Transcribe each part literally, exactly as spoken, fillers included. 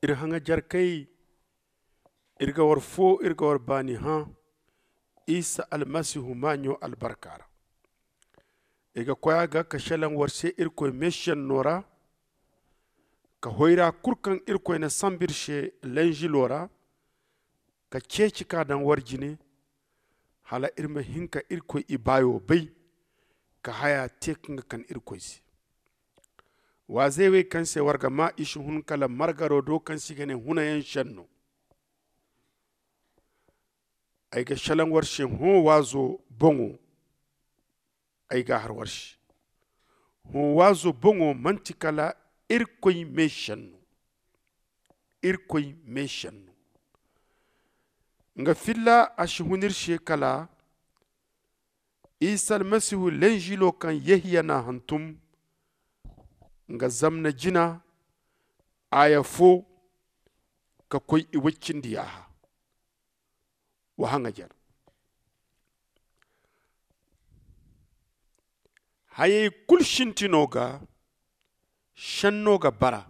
Iri haŋajarkey, iri ga war foo, iri ga war baani hã isa almasihu maaɲo albarka ra. Iri ga koy a ga ka šelaŋ war se irkoy meešenno ra, ka hoyra kul kaŋ irkoy na sanba iri se lenžilo ra, ka ceeci ka daŋ war jine, hala iri ma hin ka irkoy ibaayo bay, ka haya tee kaŋ ga kan irkoy se. Waazey wey kaŋ se war ga maa i si hun kala margaro do kaŋ se i ga ne hunayaŋ šenno. Ay ga šelaŋ war se hõ waazo boŋo. Ay ga a har war se. Hõ waazo boŋo man'ti kala irkoy meešenno. Irkoy meešenno. Nga filla a si hun iri se kala isa almasihu lenžilo kaŋ yehiya n'a hantum, nga zamna jina aaya foo ka koy i woy cindi yaaha. Wa haŋajar. Hayey kul sintino ga šenno ga bara.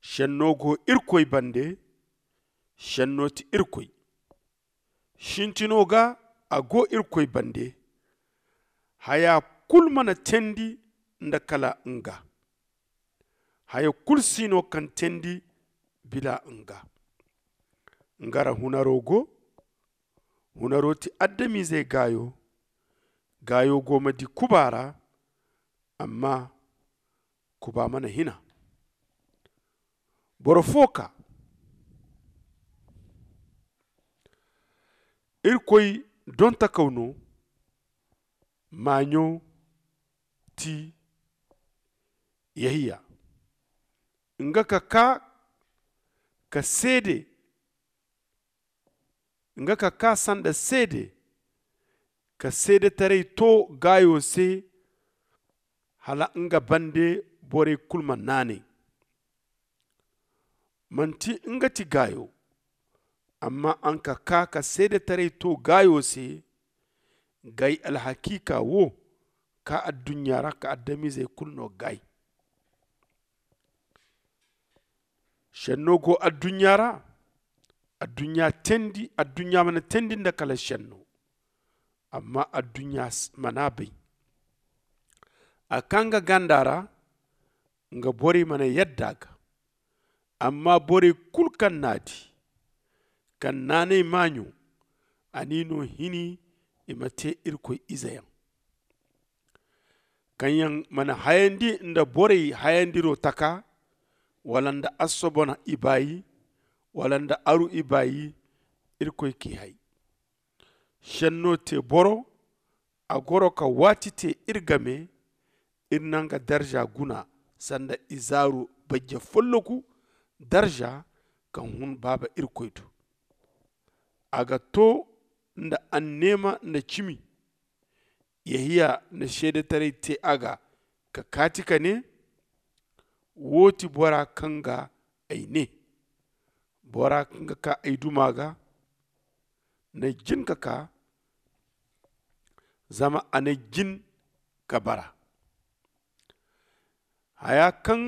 Šenno go irkoy bande. Šenno ti irkoy. Sintino ga a go irkoy bande. Haya kul mana teendi nda kala nga. Haya kul si no kaŋ teendi bila nga. Nga ra hunaro go. Hunaro ti adamizey gaayo. Gaayo go ma di kuba ra. Amma kuba mana hina. Boro foo kaa. Irkoy dontakaw no. Maaɲo ti yehiya. Nga ka kaa ka seede. Nga ka kaa sanda seede. Ka seedetaray too gaayo se. Hala nga bande borey kul ma naanay. Manti nga ti gaayo. Amma a nga ka kaa ka seedetaray too gaayo se. Gaay alhakiika wo kaa adduɲɲa ra ka adamizey kul no gaay. Šenno go adduɲɲa ra. Adduɲɲa teendi adduɲɲa mana teendi nda kala šenno. Amma adduɲɲa mana bay. A kaa nga ganda ra. Nga borey mana yadda a ga. Amma borey kul kaŋ n'a di kaŋ naanay maaɲo. A n'i no hini i ma tee irkoy izeyaŋ. Kaŋ yaŋ mana hayandi nda borey hayandiro taka wala nda assobona ibaayi wala nda aru ibaayi. Irkoy k'i hay. Šenno te boro. A goro ka waati te iri game. Iri na nga darza guna sanda izaaru bajje folloku darza kaŋ hun baaba irkoy do. A ga to nda anneema nda cimi. Yehiya na seedetaray te a ga ka kaati ka ne, wo ti bora kaŋ ga ay ne, bora kaŋ ga kaa ay duma ga na jin ka kaa. Zama a na jin ka bara. Haya kaŋ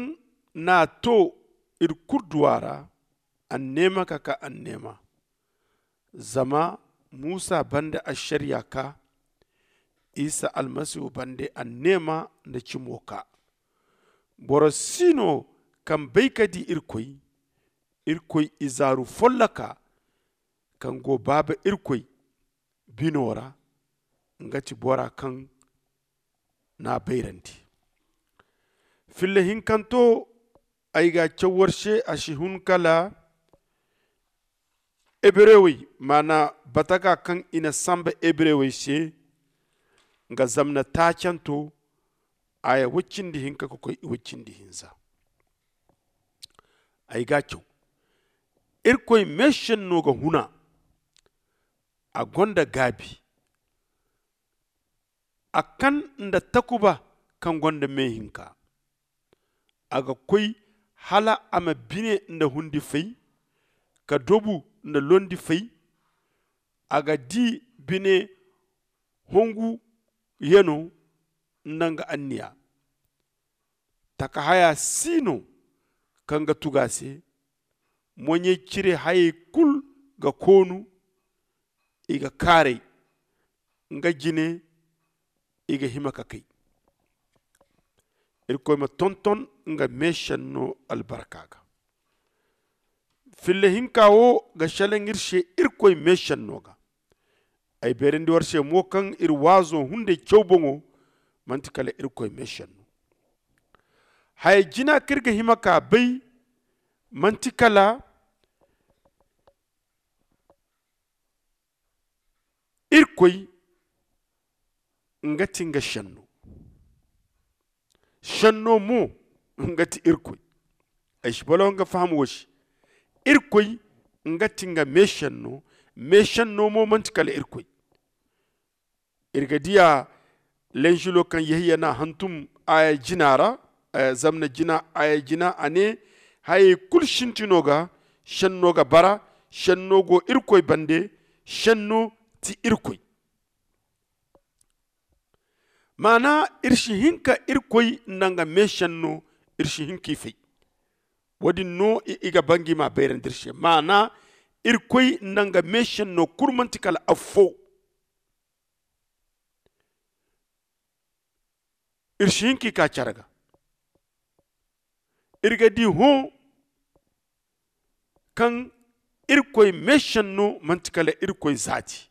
n'a to iri kulu duwa ra. Anneema ka kaa anneema. Zama musa banda ašariya kaa. Isa almasihu banda anneema nda cimo kaa. Boro si no kaŋ bay ka di irkoy. Irkoy izaaru folloka kaŋ go baaba irkoy bino ra. Nga ti bora kaŋ n'a bayrandi. Filla hinkanto ay ga a caw war se a si hun kala hebrewey maana bataga kaŋ i na samba hebrewey se. Nga zamna taacanto aya woy cindi hinka ka koy woy cindi hinza. Ay ga a caw. Irkoy meesenno ga huna. A gonda gaabi. A kan nda takuba kaŋ gonda meehinka. A ga koy hala a ma bine nda hundi fay ka dobu nda londi fay. A ga di bine hongu yano nda nga anniya. Taka haya si no kaŋ ga tugu a se. moɲey cire hayey kulu ga koonu. I ga kaaray nga jine. I ga hima ka kay. Irkoy ma tonton nga meesenno albarka ga. Filla hinka wo ga selaŋ iri se irkoy meesenno ga. Ay beerandi war se mo kaŋ iri waazo hunday caw boŋo manti kala irkoy meesenno. Haya jina kaŋ iri ga hima ka bay manti kala irkoy nga ti nga senno. Senno mo nga ti irkoy. Ay si balaw nga faham wo se. Irkoy nga ti nga meesenno. Meesenno mo manti kala irkoy. Iri ga diya lenzulo kaŋ yehiya n'a hantum aya jina ra. Zamna jina aya jina a ne, hayey kulu sintino ga senno ga bara. Senno go irkoy bande. Senno ti irkoy. Maana iri si hin ka irkoy nda nga meesenno. Iri si hin k'i fay. Wo- din no i ga ba nga i m'a bayrandi iri se maana irkoy nda nga meesenno kulu manti kala affo. Iri si hin k'i ka care ga. Iri ga di hõ kaŋ irkoy meesenno manti kala irkoy zaati.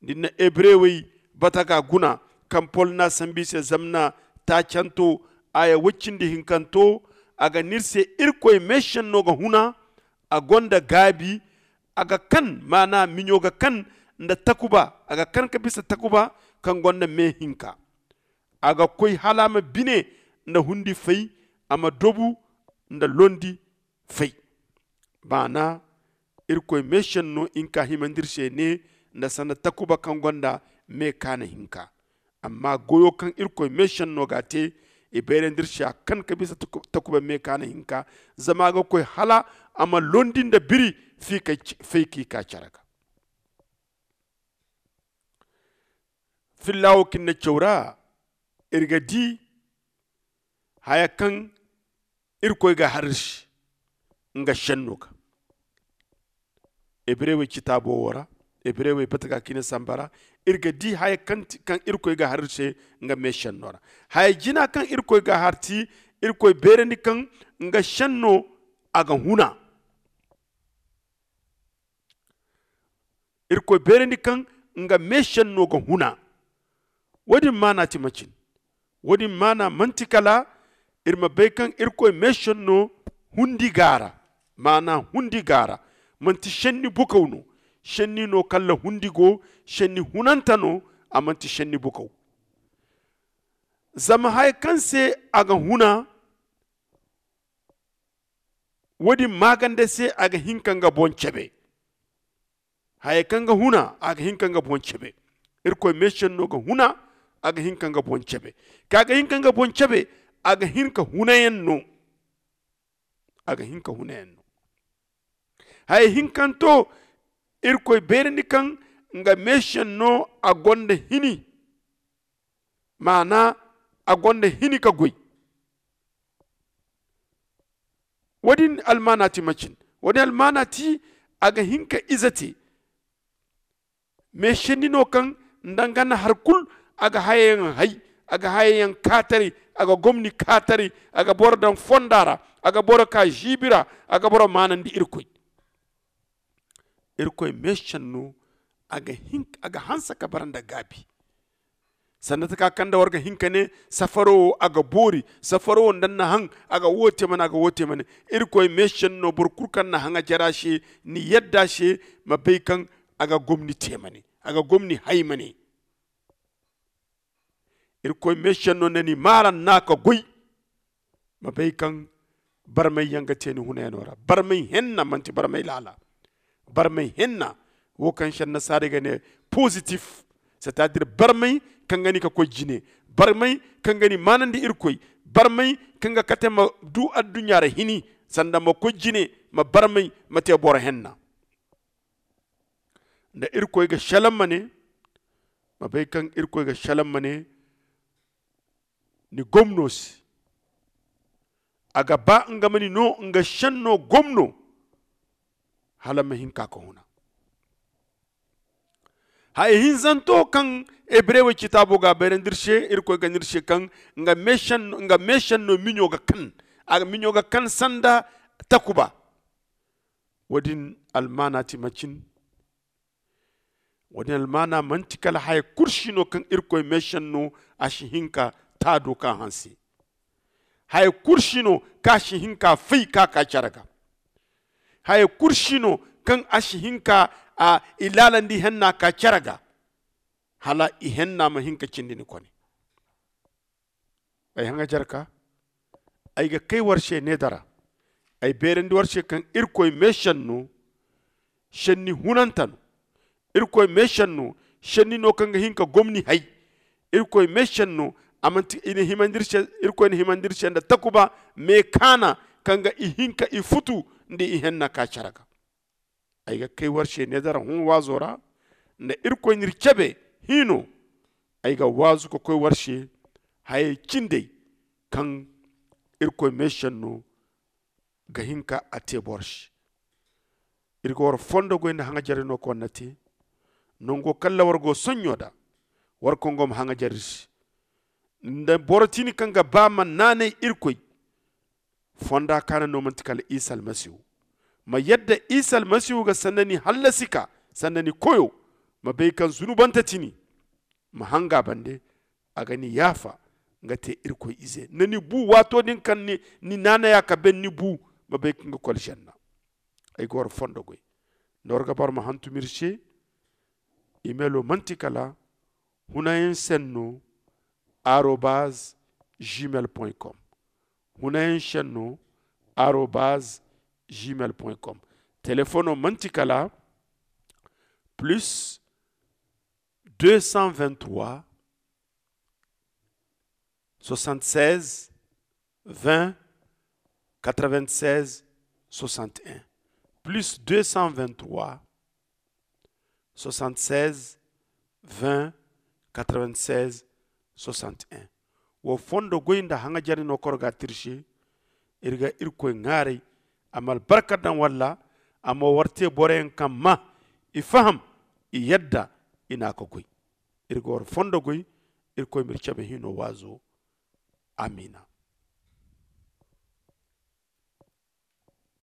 Da ni na hebrewey bata ga guna kaŋ pol n'a sambu i se zamna taacanto aya woy cindi hinkanto, a ga ne iri se irkoy meesenno ga huna. A gonda gaabi. A ga kan maana miɲo ga kan nda takuba. A ga kan ka bisa takuba kaŋ gonda me hinka. A ga koy hala a ma bine nda hundi fay. A ma dobu nda londi fay. Maana irkoy meesenno hinka himandi iri se ne nda sanda takuba kaŋ gonda me kaana hinka. Amma goyo kaŋ irkoy meesenno ga a te i bayrandi iri se a kan ka bisa takuba me kaana hinka. Zama a ga koy hala a ma londi nda biri fay k'i ka care ga. Filla wo kaŋ ni na caw ra iri ga di haya kaŋ irkoy ga har iri se nga senno ga. Hebrewey citaabo wo ra hebrewey bata ga kaŋ i na samba ra iri ga di haya kaŋ irkoy ga har iri se nga meesenno ra. Haya jina kaŋ irkoy ga har ti irkoy beerandi kaŋ nga senno a ga huna. Irkoy beerandi kaŋ nga meesenno ga huna. Wo- din maana ti macin? Wo- din maana manti kala iri ma bay kaŋ irkoy meesenno hundi gaara. Maana hundi gaara manti senni bukaw no. Senni no kaŋ ra hundi go. Senni hunante no. A manti senni bukaw. Zama haya kaŋ se a ga huna wo- din maaganda se a ga hin ka nga boŋ cabe. Hayey kaŋ ga huna a ga hin ka nga boŋ cabe. Irkoy meesenno ga huna a ga hin ka nga boŋ cabe. Kaŋ a ga hin ka nga boŋ cabe a ga hin ka hunayaŋ no. A ga hin ka hunayaŋ no. Hayey hinkanto irkoy beerandi kaŋ nga meesenno a gonda hini. Maana a gonda hini ka goy. Wo- din almaana ti macin? Wo- din almaana ti a ga hin ka ize te. Me senni no kaŋ nda nga na hari kulu a ga hayayaŋ hay. A ga hayayaŋ kaataray. A ga gomni kaataray. A ga boro daŋ fonda ra. A ga boro ka ziibi ra. A ga boro maanandi irkoy. Irkoy meesenno a ga hanse ka bara nda gaabi. Sanda taka kaŋ nda war ga hin ka ne safaro wo a ga boori. Safaro wo nda ni na haŋ a ga wo te mane a ga wo te mane. Irkoy meesenno boro kulu kaŋ na haŋ a jara se ni yadda se ma bay kaŋ a ga gomni te mane. A ga gomni hay mane. Irkoy meesenno nda ni maara nda a ka goy. Ma bay kaŋ barmay yaŋ ga te ni hunayano ra. Barmay henna manti barmay laala. Barmay henna wo kaŋ se annasaarey ga ne positif. C'est à dire barmay kaŋ ga ni ka koy jine. Barmay kaŋ ga ni maanandi irkoy. Barmay kaŋ ga kate ma du adduɲɲa ra hini sanda ma koy jine ma barmay ma te boro henna. Nda irkoy ga selaŋ ma ne ma bay kaŋ irkoy ga selaŋ ma ne ni gomno se. A ga ba nga ma ni no nga senno gomno. hala ma hin ka ka huna. Haya hinzanto kaŋ hebre way citaabo ga a bayrandi iri se, irkoy ga ne iri se kaŋ nga meesenno miɲo ga kan, a ga miɲo ga kan sanda takuba. Wo- din almaana ti macin. Wo- din almaana manti kala haya kulu si no kaŋ irkoy meesenno a si hin ka taado ka hanse. Haya kulu si no kaŋ a si hin ka fay ka ka care ga. Haya kulu si no kaŋ a si hin ka a ilaalandi henna ka care ga, hala ihenna ma hin ka cindi ni kone. Ay haŋajarka, ay ga kay war se needara. Ay beerandi war se kaŋ irkoy meesenno senni hunanta no. Irkoy meesenno senni no kaŋ ga hin ka gomni hay. Irkoy meesenno a manti i na himandi iri se, irkoy na himandi iri se nda takuba meekaana kaŋ ga i hin ka i futu nda ihenna ka care ga. Ay ga kay war se needara hõ waazo ra nda irkoy n'iri cabe hino. Ay ga waazu ka koy war se hayey cindey kaŋ irkoy meesenno ga hin ka a te boro se. Iri ga war fondo goy nda haŋajarey no kaŋ war na te nango kaŋ ra war go sonɲo da. War kongo ma haŋajar iri se nda boro tini kaŋ ga ba ma naanay irkoy fonda kaana no manti kala isa almasihu. Ma yadda isa almasihu ga sanda ni hallasi ka sanda ni koyo, ma bay kaŋ zunubante tini ma hanga bande. A ga ni yaafa nga te irkoy ize nda ni bu waato din kaŋ ni naanaya ka ben ni bu ma bay kaŋ ga kol senna. Ay ga war fondo goy nda war ga bara ma hantum iri se. Imelo manti kala hunayaŋ senno arobaz gmail point com. Hunayaŋ senno arobaz gmail point com. Telefono manti kala plus deux cent vingt trois soixante seize vingt quatre vingt seize soixante un, plus deux cent vingt trois soixante seize vingt quatre vingt seize soixante un. Wo fondo goy nda haŋajari no koro ga tirse. Iri ga irkoy ŋaaray a ma albarka daŋ walla a ma war te boroyaŋ kaŋ ma i faham i yadda i na a ka goy. Iri ga war fondo goy. Irkoy ma iri cabe hino waazo. Amiina.